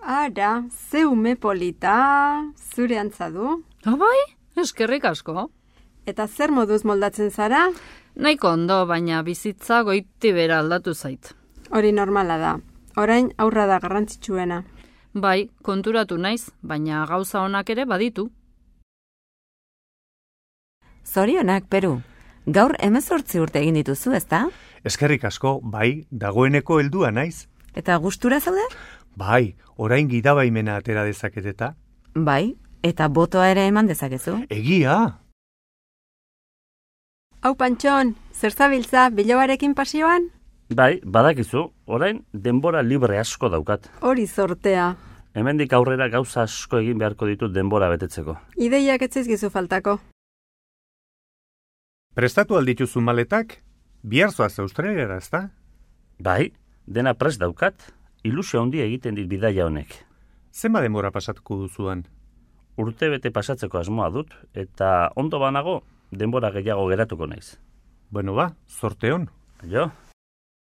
Ara, ze ume polita, zure antza du. Bai, eskerrik asko. Eta zer moduz moldatzen zara? Nahiko ondo, baina bizitza goiti bera aldatu zait. Hori normala da. Orain aurra da garrantzitsuena. Bai, konturatu naiz, baina gauza onak ere baditu. Zorionak, Peru. Gaur 18 urte egin dituzu, ezta? Eskerrik asko, bai, dagoeneko heldua naiz. Eta gustura zaude? Bai, orain gidabaimena atera dezaketeta. Bai, eta botoa ere eman dezakezu. Egia! Hau Pantxon, zer zabiltza bilobarekin pasioan? Bai, badakizu, orain denbora libre asko daukat. Hori zortea. Hemendik aurrera gauza asko egin beharko ditut denbora betetzeko. Ideiak ez zaizkizu faltako. Prestatu aldituzu maletak? Bihar zoaz Australiara, ezta? Bai, dena prest daukat, ilusio handia egiten dit bidaia honek. Zenba denbora pasatuko duzuan? Urte bete pasatzeko asmoa dut, eta ondo banago, denbora gehiago geratuko naiz. Bueno ba, zorte on. Jo?